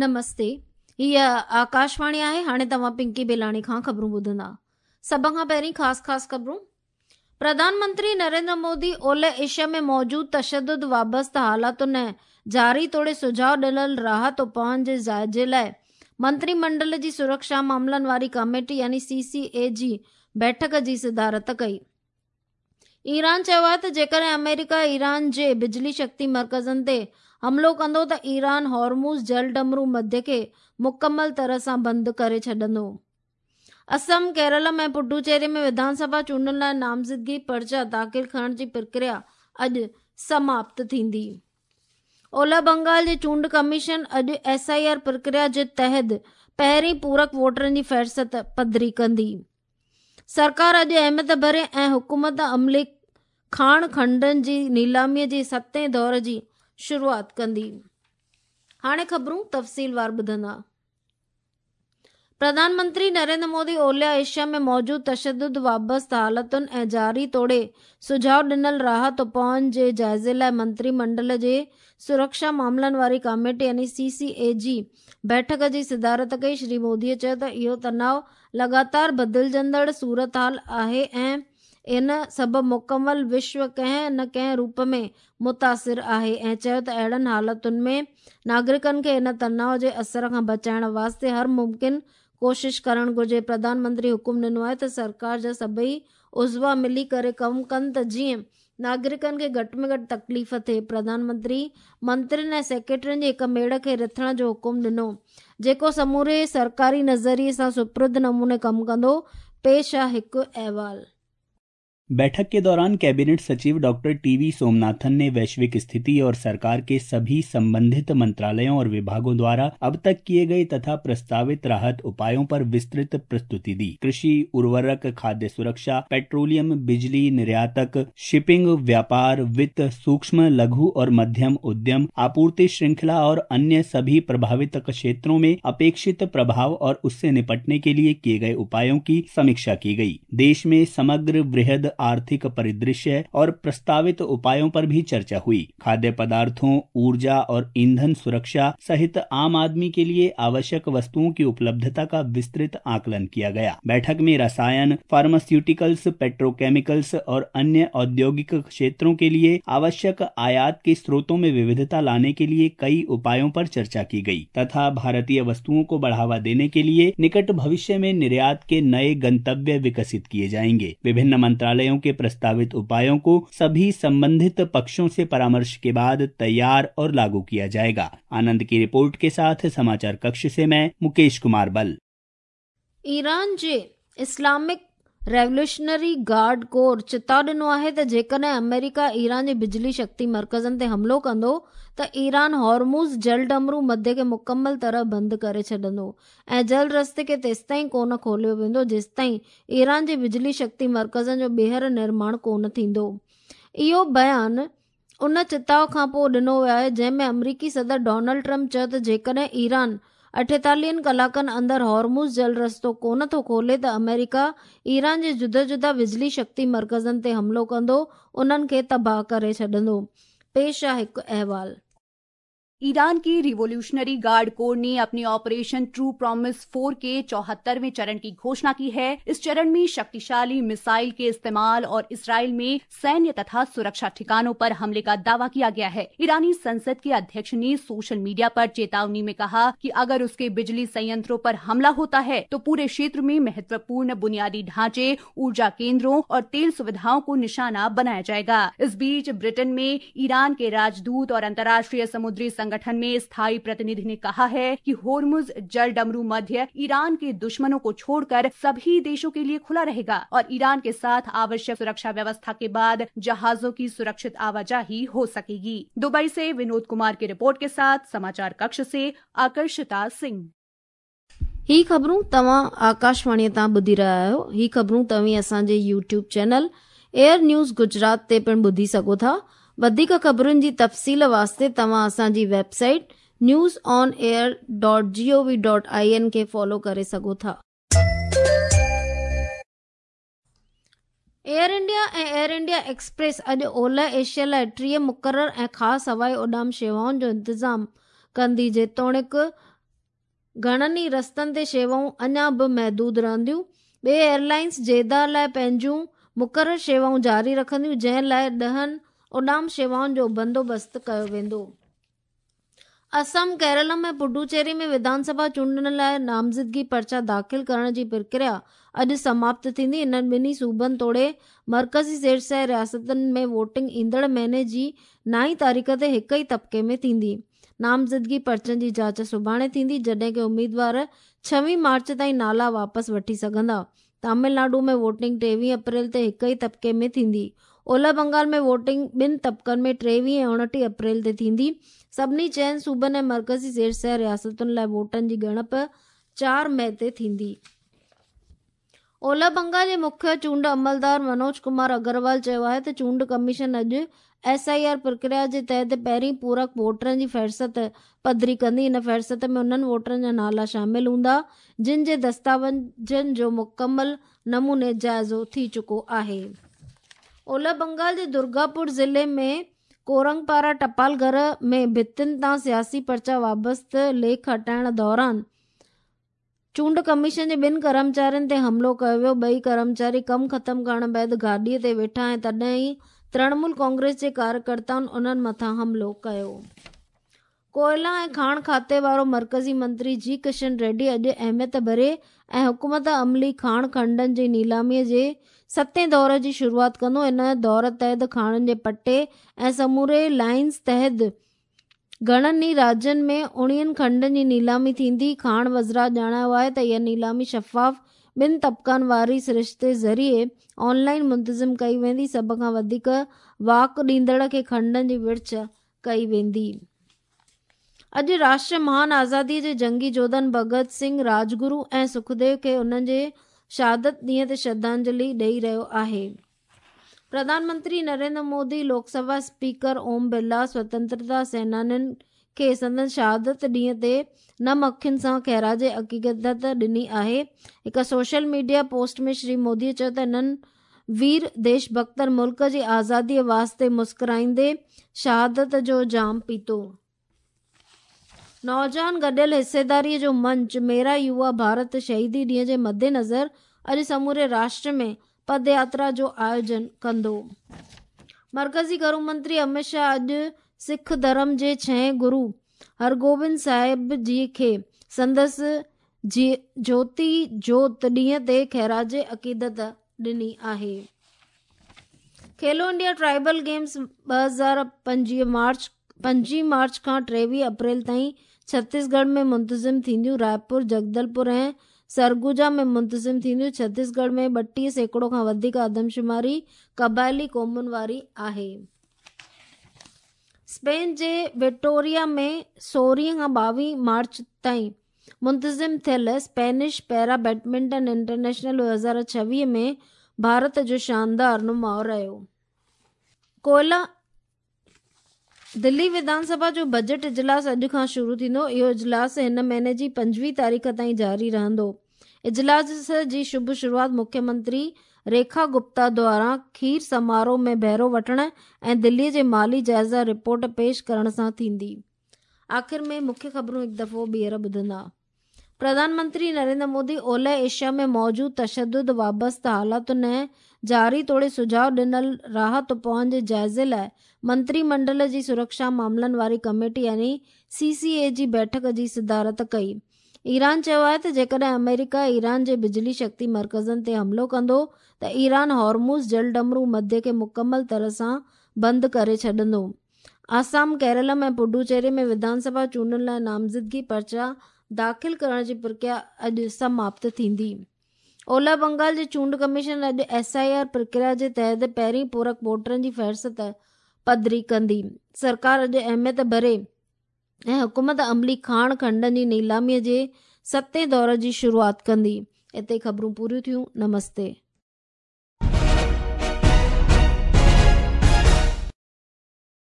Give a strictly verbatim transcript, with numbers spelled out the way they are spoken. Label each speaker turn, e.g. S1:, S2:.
S1: نمستي، هيء آڪاشواڻي آهي. هاڻي توهان پنڪي بيلاڻي کان خبرون ٻڌندا. سڀ کان پهرين خاص خاص خبرون. پرڌان منتري نريندر مودي اولهه ايشيا ۾ موجود تشدد وابسته حالتن ۽ جاري توڙي سجهاء ڏنل راحت اپائن جي جائزي لاء منتري منڊل جي سرڪشا معاملن واري ڪميٽي يعني سي سي اي جي بيٺڪ جي صدارت ڪئي. ايران چيو آهي ته جيڪڏهن آمريڪا ايران جي بجلي شڪتي مرڪزن تي حملو ڪندو ته ايران هارموز جلڊمرو مڌيه کي مڪمل طرح سان بند ڪري ڇڏندو. اسم، ڪيرل ۽ پڊوچيري ۾ وڌان سڀا چونڊن لاء نامزدگي پرچا داخل ڪرڻ جي پرڪريا اڄ سماپت ٿيندي. اولهه بنگال جي چونڊ ڪميشن اڄ ايس I R پرڪريا جي تحت پهرين پورڪ ووٽرن جي فهرست پڌري ڪندي. سرڪار اڄ اهميت ڀري ۽ حڪومت عملي کاڻ کنڊن جي نيلاميءَ جي ستين دور جي شروعات ڪندي. هاڻي خبرون تفصيلوار ٻڌندا. پرڌان منتري نريندر مودي اولهه ايشيا ۾ موجود تشدد وابسته حالتن ۽ جاري توڙي سجهاء ڏنل راحت اپائن جي جائزي لاءِ منتري منڊل جي سرڪشا معاملن واري ڪميٽي يعني سي سي اي جي بيٺڪ جي صدارت ڪئي. شري موديءَ چيو ته اهو تناءُ لڳاتار بدلجندڙ صورت حال آهي ۽ ان سبب مڪمل وشو ڪنهن نه ڪنهن روپ ۾ متاثر آهي ۽ چيو ته اهڙن حالتن ۾ ناگرڪن کي ان تناءُ جي اثر کان بچائڻ واسطي هر ممڪن ڪوشش ڪرڻ گهرجي. پرڌان منتري حڪم ڏنو آهي ته سرڪار جا سڀئي عضوا ملي ڪري ڪم ڪن ته جيئن ناگرڪن کي گهٽ ۾ گهٽ تڪليف ٿئي. پرڌان منتري منترين ۽ سيڪريٽرين جي هڪ ميڙ کي رٿڻ جو حڪم ڏنو جيڪو سموري سرڪاري نظريي سان سپرد نموني ڪم ڪندو. پيش آهي هڪ احوال.
S2: बैठक के दौरान कैबिनेट सचिव डॉक्टर टीवी सोमनाथन ने वैश्विक स्थिति और सरकार के सभी संबंधित मंत्रालयों और विभागों द्वारा अब तक किए गए तथा प्रस्तावित राहत उपायों पर विस्तृत प्रस्तुति दी। कृषि, उर्वरक, खाद्य सुरक्षा, पेट्रोलियम, बिजली निर्यातक, शिपिंग, व्यापार, वित्त, सूक्ष्म, लघु और मध्यम उद्यम, आपूर्ति श्रृंखला और अन्य सभी प्रभावित क्षेत्रों में अपेक्षित प्रभाव और उससे निपटने के लिए किए गए उपायों की समीक्षा की गई। देश में समग्र वृहद आर्थिक परिदृश्य और प्रस्तावित उपायों पर भी चर्चा हुई। खाद्य पदार्थों, ऊर्जा और ईंधन सुरक्षा सहित आम आदमी के लिए आवश्यक वस्तुओं की उपलब्धता का विस्तृत आकलन किया गया। बैठक में रसायन, फार्मास्यूटिकल्स, पेट्रोकेमिकल्स और अन्य औद्योगिक क्षेत्रों के लिए आवश्यक आयात के स्रोतों में विविधता लाने के लिए कई उपायों पर चर्चा की गई तथा भारतीय वस्तुओं को बढ़ावा देने के लिए निकट भविष्य में निर्यात के नए गंतव्य विकसित किए जाएंगे। विभिन्न मंत्रालयों के प्रस्तावित उपायों को सभी संबंधित पक्षों से परामर्श के बाद तैयार और लागू किया जाएगा। आनंद की रिपोर्ट के साथ समाचार कक्ष से मैं मुकेश कुमार बल।
S1: ईरान जे इस्लामिक रेवोल्यूशनरी गार्ड कोर चेताव ॾिनो आहे त जेकॾहिं अमेरिका ईरान जे बिजली शक्ति मर्कज़नि ते हमलो कंदो त ईरान हॉर्मुज़ जलडमरू मध्य खे मुकमल तरह बंदि करे छॾंदो ऐं जल रस्ते खे तेसिताईं कोन खोलियो वेंदो जेसिताईं ईरान जे बिजली शक्ति मर्कज़नि जो ॿीहर निर्माण कोन थींदो। इहो बयान उन चेताव खां पोइ ॾिनो वियो आहे जंहिं में अमरीकी सदर डोनाल्ड ट्रंप चयो त जेकॾहिं ईरान अठेतालीहनि कलाकनि अंदरि हॉर्मुज़ जल रस्तो कोन थो खोले त अमेरिका ईरान जे जुदा जुदा बिजली शक्ति मर्कज़नि ते हमलो कंदो, उन्हनि खे तबाह करे छॾंदो। पेश आहे हिकु अहवाल।
S3: ईरान की रिवोल्यूशनरी गार्ड कोर ने अपने ऑपरेशन ट्रू प्रॉमिस फोर के चौहत्तरवें चरण की घोषणा की है। इस चरण में शक्तिशाली मिसाइल के इस्तेमाल और इसराइल में सैन्य तथा सुरक्षा ठिकानों पर हमले का दावा किया गया है। ईरानी संसद के अध्यक्ष ने सोशल मीडिया पर चेतावनी में कहा कि अगर उसके बिजली संयंत्रों पर हमला होता है तो पूरे क्षेत्र में महत्वपूर्ण बुनियादी ढांचे, ऊर्जा केंद्रों और तेल सुविधाओं को निशाना बनाया जाएगा। इस बीच ब्रिटेन में ईरान के राजदूत और अंतर्राष्ट्रीय समुद्री संगठन में स्थायी प्रतिनिधि ने कहा है कि होर्मुज जल डमरू मध्य ईरान के दुश्मनों को छोड़कर सभी देशों के लिए खुला रहेगा और ईरान के साथ आवश्यक सुरक्षा व्यवस्था के बाद जहाजों की सुरक्षित आवाजाही हो सकेगी। दुबई से विनोद कुमार की रिपोर्ट के साथ समाचार कक्ष से आकर्षिता सिंह।
S1: ही ख़बरूं तव्हां आकाशवाणीअ तां ॿुधी रहिया आहियो। ही ख़बरूं तव्हीं असांजे YouTube channel air news Gujarat ते पिणु ॿुधी सघो था। वधीक ख़बरुनि जी तफ़सील वास्ते तव्हां असांजी website news on air dot G O V dot I N खे फॉलो करे सघो था। एयर इंडिया ऐं एयर इंडिया एक्सप्रेस अॼु ओलह एशिया लाइ टीह मुक़ररु ऐं ख़ासि हवाई उॾाम शेवाउनि जो इंतज़ामु कंदी। जेतोणीकि گهڻن ئي رستن تي شيوائون اڃا به محدود رهنديون. ٻئي ايئرلائنس جيدا لاءِ پنهنجون مقرر شيوائون جاري رکنديون، جنهن لاءِ ڏهن اڏام شيوائن جو بندوبست ڪيو ويندو. اسم، ڪيرلم ۽ پڊوچيري ۾ وڌان سڀا چونڊن لاءِ نامزدگي پرچا داخل ڪرڻ جي پرڪريا اڄ سماپت ٿيندي. انهن ٻنهي صوبن توڙي مرڪزي زير سايه رياستن ۾ ووٽنگ ايندڙ مهيني جي نائين تاريخ تي هڪ ئي طبقي ۾ ٿيندي. نامزدگي پرچن جي جاچ سڀاڻي ٿيندي، جڏهن ڪه اميدوار ڇويهه مارچ تائين نالا واپس وٺي سگهندا. تامل ناڊو ۾ ووٽنگ ٽيويهه اپريل تي هڪ ئي طبقي ۾ ٿيندي. اولهه بنگال ۾ ووٽنگ ٻن طبقن ۾ ٽيويهه ۽ اڻٽيهه اپريل تي ٿيندي. سڀني چئن صوبن ۽ مرڪزي زير سايه رياستن لاءِ ووٽن جي ڳڻپ چار مئي تي ٿيندي. اولهه بنگال جي مکيه چونڊ عملدار منوج ڪمار اگروال چيو آهي ته چونڊ ڪميشن اڄ ايس I R پرڪريا جي تحت پهرين پورڪ ووٽرن جي فهرست پڌري ڪندي. ان فهرست ۾ انهن ووٽرن جا نالا شامل هوندا جن جي دستاويزن جو مڪمل نموني جائزو ٿي چڪو آهي. اولهه بنگال جي درگاپور ضلعي ۾ ڪورنگپارا ٽپال گهر ۾ ڀتين تان سياسي پرچا وابسته ليک هٽائڻ دوران چونڊ ڪميشن جي ٻن ڪرمچارين تي حملو ڪيو ويو. ٻئي ڪرمچاري ڪم ختم ڪرڻ بعد گاڏيءَ تي ويٺا ۽ تڏهن ئي ترڻمول ڪانگريس جي ڪاريڪرتائن انهن مٿان حملو ڪيو. ڪوئلا ۽ کاڻ کاتي وارو مرڪزي منتري جي ڪشن ريڊي اڄ اهميت ڀري ۽ حڪومت عملي کاڻ کنڊن جي نيلاميءَ جي ستين دور جي شروعات ڪندو. ان دور تحت کاڻن جي پٽي ۽ سموري لائنز تحت گهڻن ئي راجين ۾ اڻويهن کنڊن جي نيلامي ٿيندي. کاڻ وزارت ڄاڻايو آهي ته اها نيلامي شفاف ٻن طبقن واري سرشتي ذريعي آنلائن منتظم ڪئي ويندي. سڀ کان وڌيڪ واڪ ڏيندڙ کي کنڊن جي ورڇ ڪئي ويندي. اڄ راشٽر مهان آزاديءَ جي جنگي جوڌن ڀڳت سنگهه، راجگرو ۽ سکديو کي انهن جي شهادت ڏينهن تي شرڌانجلي ڏيئي رهيو آهي. پرڌان منتري نريندر مودي، لوڪ سڀا اسپيڪر اوم برلا سوتنترتا سينانين کي سندن شهادت ڏينهن تي نم اکين سان خراج عقيدت ڏني آهي. هڪ سوشل ميڊيا پوسٽ ۾ شري موديءَ چيو ته انهن وير ديش ڀڪتن ملڪ جي آزاديءَ واسطي مسڪرائيندي شهادت جو جام پيتو. نوجوان گڏيل حصيداريءَ جو منچ ميرا يووا ڀارت شهيدي ڏينهن جي مد نظر اڄ سموري راشٽر ۾ پد ياترا جو آيوجن ڪندو. مرڪزي گهرو منتري امت شاهه اڄ سک ڌرم جي ڇهين گرو هرگوبند صاحب جي کي سندس جيوتي جوت ڏينهن تي خراج عقيدت ڏني آهي. کيلو انڊيا ٽرائبل گيمز ٻه هزار پنجويهه مارچ پنجويهه مارچ کان ٽيويهه اپريل تائين ڇتيسڳڙهه ۾ منتظم ٿينديون. رائپور، جگدلپور ۽ سرگجا ۾ منتظم ٿينديون. ڇتيسڳڙهه ۾ ٻٽيهه سيڪڙو کان وڌيڪ آدمشماري قبائلي قومن واري آهي. اسپين جي وٽوريا ۾ سورهين کان ٻاويهه مارچ تائين منتظم ٿيل اسپينش پيرا بيڊمنٽن انٽرنيشنل ٻه هزار ڇويهه ۾ ڀارت جو شاندار نماءُ رهيو. ڪوئلا دلي وڌان سڀا جو بجيٽ اجلاس اڄ کان شروع ٿيندو. اهو اجلاس هن مهيني جي پنجويهه تاريخ تائين جاري رهندو. اجلاس جي شڀ شروعات مکيه منتري ريکا گپتا دواران کير سماروهه ۾ بهرو وٺڻ ۽ دليءَ جي مالي جائزا رپورٽ پيش ڪرڻ سان ٿيندي. آخر ۾ مکيه خبرون هڪ دفعو ٻيهر ٻڌندا. پرڌان منتري نريندر مودي اولهه ايشيا ۾ موجود تشدد وابسته حالاتن ۽ جاري توڙي سجهاءُ ڏنل راحت اپائن جي جائزي لاءِ منتري منڊل جي سرڪشا معاملن واري ڪميٽي يعني سي سي اي جي بيٺڪ جي صدارت ڪئي. ايران چيو آهي ته جيڪڏهن آمريڪا ايران جي بجلي شڪتي مرڪزن تي حملو ڪندو ته ايران هارموز جلڊمرو مڌيه کي مڪمل طرح سان بند ڪري ڇڏندو. آسام، ڪيرلم ۽ پڊوچيري ۾ وڌان سڀا چونڊن لاءِ نامزدگي پرچا داخل ڪرڻ جي پرڪريا اڄ سماپت ٿيندي. اولهه بنگال جي چونڊ ڪميشن اڄ ايس I R پرڪريا جي تحت پهرين پورڪ ووٽرن جي فهرست پڌري ڪندي. سرڪار اڄ اهميت ڀري ۽ حڪومت عملي کاڻ کنڊن جي نيلاميءَ جي ستين دور جي شروعات ڪندي. اتي خبرون پوريون ٿيون. نمستي.